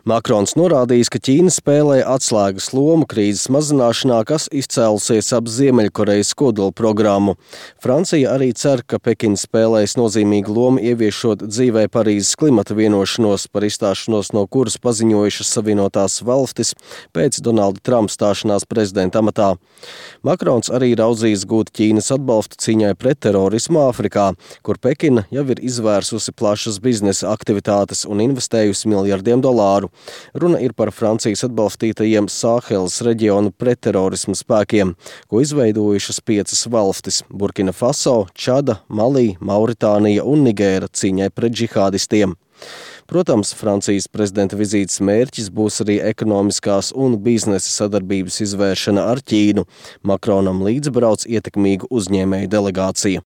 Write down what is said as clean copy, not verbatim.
Makrons norādījis, ka Ķīna spēlē atslēgas lomu krīzes mazināšanā, kas izcēlusies ap Ziemeļkorejas kodola programmu. Francija arī cer, ka Pekina spēlēs nozīmīgu lomu ieviešot dzīvē Parīzes klimata vienošanos, par izstāšanos no kuras paziņojušas Savienotās valstis pēc Donalda Trumpa stāšanās prezidenta amatā. Makrons arī raudzījis gūt Ķīnas atbalstu cīņai pret terorismu Āfrikā, kur Pekina jau ir izvērsusi plašas biznesa aktivitātes un investējusi miljardiem dolāru. Runa ir par Francijas atbalstītajiem Sāheles reģionu pretterorisma spēkiem, ko izveidojušas 5 valstis – Burkina Faso, Čada, Malī, Mauritānija un Nigēra cīņai pret džihādistiem. Protams, Francijas prezidenta vizītes mērķis būs arī ekonomiskās un biznesa sadarbības izvēršana ar Ķīnu. Makronam līdzbrauc ietekmīgu uzņēmēju delegācija.